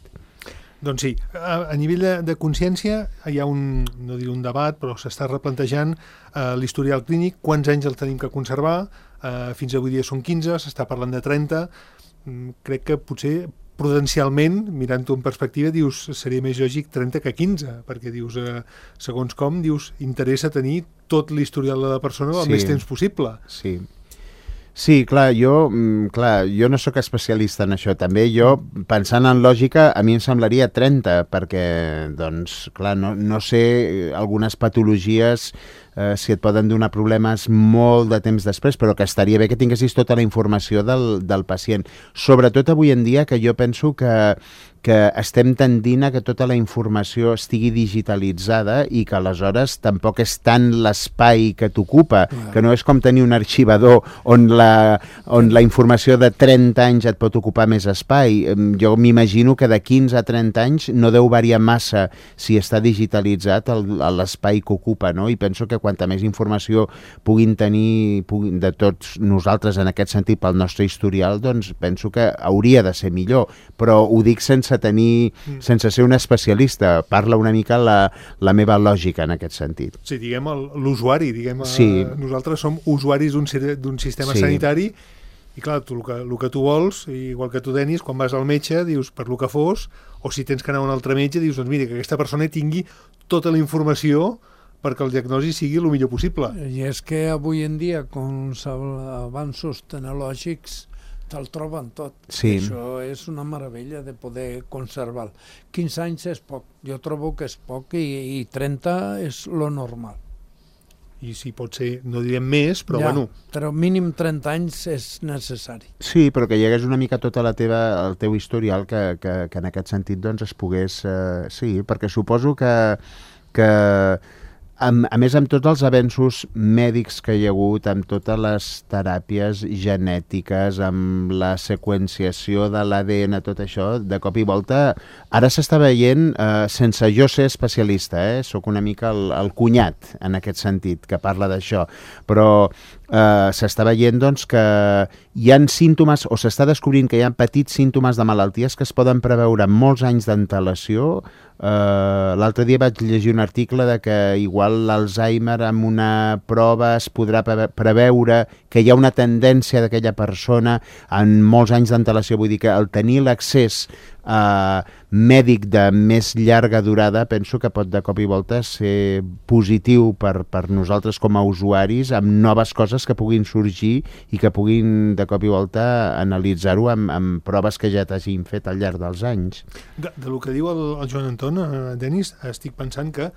Doncs sí, a nivell de consciència hi ha no diré un debat, però s'està replantejant l'historial clínic, quants anys el tenim que conservar, fins avui dia són 15, s'està parlant de 30, crec que potser prudencialment, mirant-ho en perspectiva, dius, seria més lògic 30 que 15, perquè dius, segons com, dius, interessa tenir tot l'historial de la persona el més temps possible. Sí, clar, jo no sóc especialista en això. També jo, pensant en lògica, a mi em semblaria 30, perquè, doncs, clar, no sé, algunes patologies si et poden donar problemes molt de temps després, però que estaria bé que tinguessis tota la informació del pacient. Sobretot avui en dia, que jo penso que estem tendint a que tota la informació estigui digitalitzada i que aleshores tampoc és tant l'espai que t'ocupa, que no és com tenir un arxivador on la informació de 30 anys et pot ocupar més espai. Jo m'imagino que de 15 a 30 anys no deu variar massa si està digitalitzat l'espai que ocupa, no? I penso que quanta més informació puguin tenir de tots nosaltres en aquest sentit pel nostre historial, doncs penso que hauria de ser millor, però ho dic sense ser un especialista, parla una mica la meva lògica en aquest sentit. Sí, diguem l'usuari, nosaltres som usuaris d'un sistema sanitari i clar, el que tu vols, igual que tu, Denis, quan vas al metge, dius per lo que fos, o si tens que anar a un altre metge, dius, doncs mira, que aquesta persona tingui tota la informació perquè el diagnòstic sigui el millor possible. I és que avui en dia, com els avanços tecnològics, te'l troben tot. Sí. Això és una meravella de poder conservar. 15 anys és poc, jo trobo que és poc i 30 és lo normal. I si pot ser, no direm més, però bueno. Però mínim 30 anys és necessari. Sí, però que hi hagués una mica tota el teu historial que en aquest sentit doncs es pogués... sí, perquè suposo que a més, amb tots els avenços mèdics que hi ha hagut, amb totes les teràpies genètiques, amb la seqüenciació de l'ADN, tot això, de cop i volta, ara s'està veient, sense jo ser especialista, sóc una mica el cunyat, en aquest sentit, que parla d'això, però s'està veient doncs, que hi ha símptomes, o s'està descobrint que hi ha petits símptomes de malalties que es poden preveure amb molts anys d'antelació. L'altre dia vaig llegir un article de que igual l'Alzheimer amb una prova es podrà preveure que hi ha una tendència d'aquella persona en molts anys d'antelació. Vull dir que el tenir l'accés mèdic de més llarga durada penso que pot de cop i volta ser positiu per nosaltres com a usuaris, amb noves coses que puguin sorgir i que puguin de cop i volta analitzar-ho amb proves que ja t'hagin fet al llarg dels anys. De lo que diu el Joan Anton, Denis, estic pensant que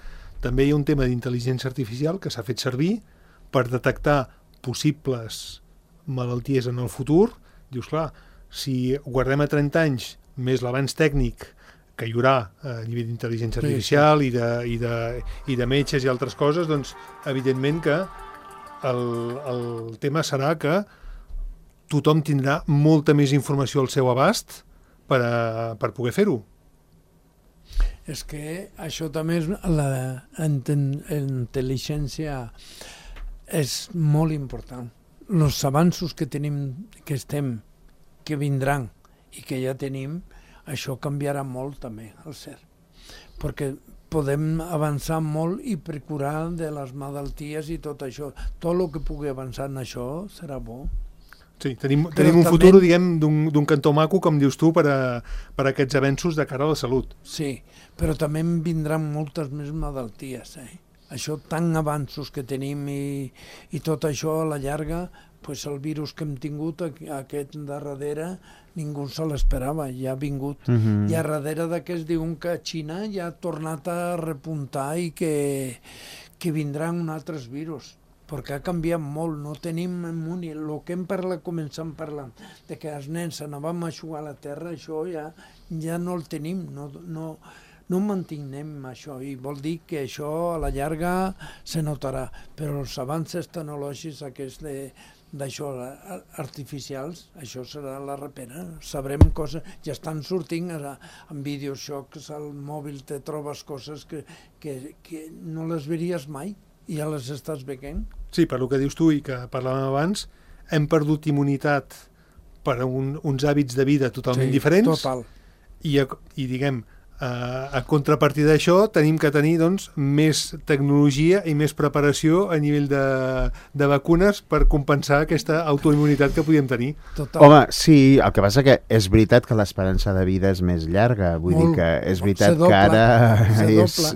també hi ha un tema d'intel·ligència artificial que s'ha fet servir per detectar possibles malalties en el futur. Dius, clar, si guardem a 30 anys més l'avanç tècnic que hi haurà a nivell d'intel·ligència artificial i de metges i altres coses, doncs evidentment que el tema serà que tothom tindrà molta més informació al seu abast per poder fer-ho. És que això també és la intel·ligència és molt important. Els avanços que tenim, que vindran i que ja tenim, això canviarà molt també, al cert. Perquè podem avançar molt i procurar de les malalties i tot això. Tot el que pugui avançar en això serà bo. Sí, tenim un futur, diguem, d'un cantó maco, com dius tu, per aquests avenços de cara a la salut. Sí, però també en vindran moltes més malalties. Això, tan avanços que tenim i tot això a la llarga, pues el virus que hem tingut aquest darrere ningú se l'esperava, ja ha vingut. I a darrere d'aquest diuen que Xina ja ha tornat a repuntar i que vindran altres virus, perquè ha canviat molt, no tenim immuni. El que hem començat parlant, de que els nens anàvem a jugar a la terra, això ja no el tenim, no mantenim això, i vol dir que això a la llarga se notarà, però els avances tecnològics aquests d'això artificials, això serà la repera. Sabrem coses, ja estan sortint en videojocs, al mòbil te trobes coses que no les veuries mai i ja les estàs veient. Sí, per el que dius tu i que parlàvem abans, hem perdut immunitat per uns hàbits de vida totalment diferents. Total. I diguem, A contrapartida d'això tenim que tenir doncs, més tecnologia i més preparació a nivell de vacunes per compensar aquesta autoimmunitat que podíem tenir. Total. Home, sí, el que passa que és veritat que l'esperança de vida és més llarga, vull dir que és veritat que ara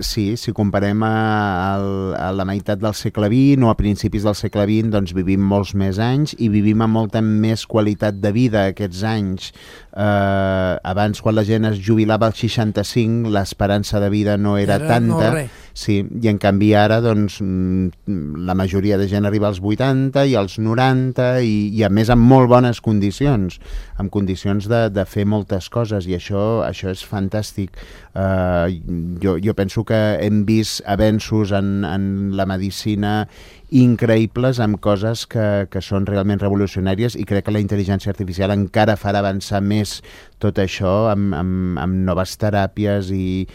si comparem a la meitat del segle XX o a principis del segle XX, doncs vivim molts més anys i vivim amb molta més qualitat de vida aquests anys. Abans, quan la gent es jubilava als 65, l'esperança de vida no era tanta, sí, i en canvi ara doncs, la majoria de gent arriba als 80 i als 90 i a més amb molt bones condicions, amb condicions de fer moltes coses, i això és fantàstic. Jo penso que hem vist avenços en la medicina increïbles, amb coses que són realment revolucionàries, i crec que la intel·ligència artificial encara farà avançar més tot això amb noves teràpies i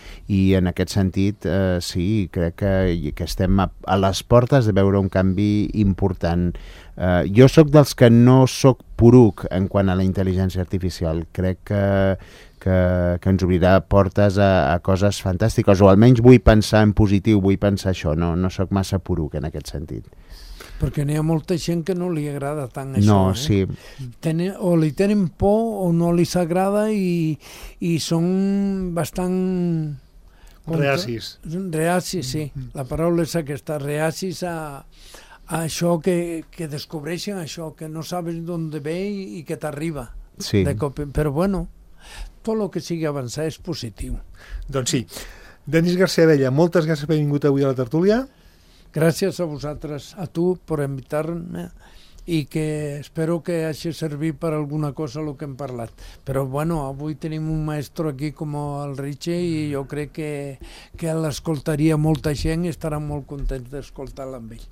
en aquest sentit sí, crec que estem a les portes de veure un canvi important. Jo sóc dels que no sóc poruc en quant a la intel·ligència artificial. Crec que ens obrirà portes a coses fantàstiques, o almenys vull pensar en positiu, vull pensar això, no sóc massa poruc en aquest sentit. Perquè n'hi ha molta gent que no li agrada tant això. No, sí. O li tenen por o no li s'agrada i són bastant... Reacis. Reacis, sí. La paraula és aquesta, reacis a això que descobreixen, això que no sabes d'on ve i que t'arriba. Sí. Però bueno, tot el que sigui avançar és positiu. Doncs sí. Denis García Abella, moltes gràcies per haver vingut avui a la tertúlia. Gràcies a vosaltres, a tu, per invitar-me, i que espero que hagi servit per alguna cosa el que hem parlat. Però bueno, avui tenim un maestro aquí com el Richie i jo crec que l'escoltaria molta gent i estarà molt contents d'escoltar-la amb ell.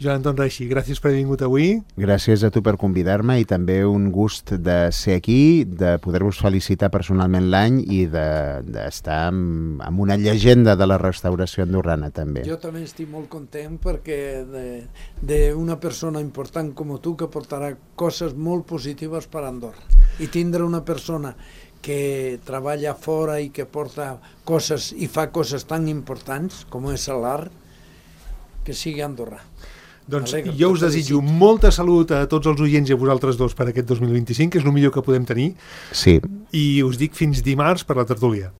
Joan Anton Reixi, gràcies per haver vingut avui. Gràcies a tu per convidar-me i també un gust de ser aquí, de poder-vos felicitar personalment l'any i d'estar amb una llegenda de la restauració andorrana també. Jo també estic molt content perquè d'una persona important com tu que portarà coses molt positives per Andorra, i tindre una persona que treballa fora i que porta coses i fa coses tan importants com és l'art, que sigui Andorra. Doncs jo us desitjo molta salut a tots els oients i a vosaltres dos per aquest 2025, que és el millor que podem tenir. Sí. I us dic fins dimarts per la tertúlia.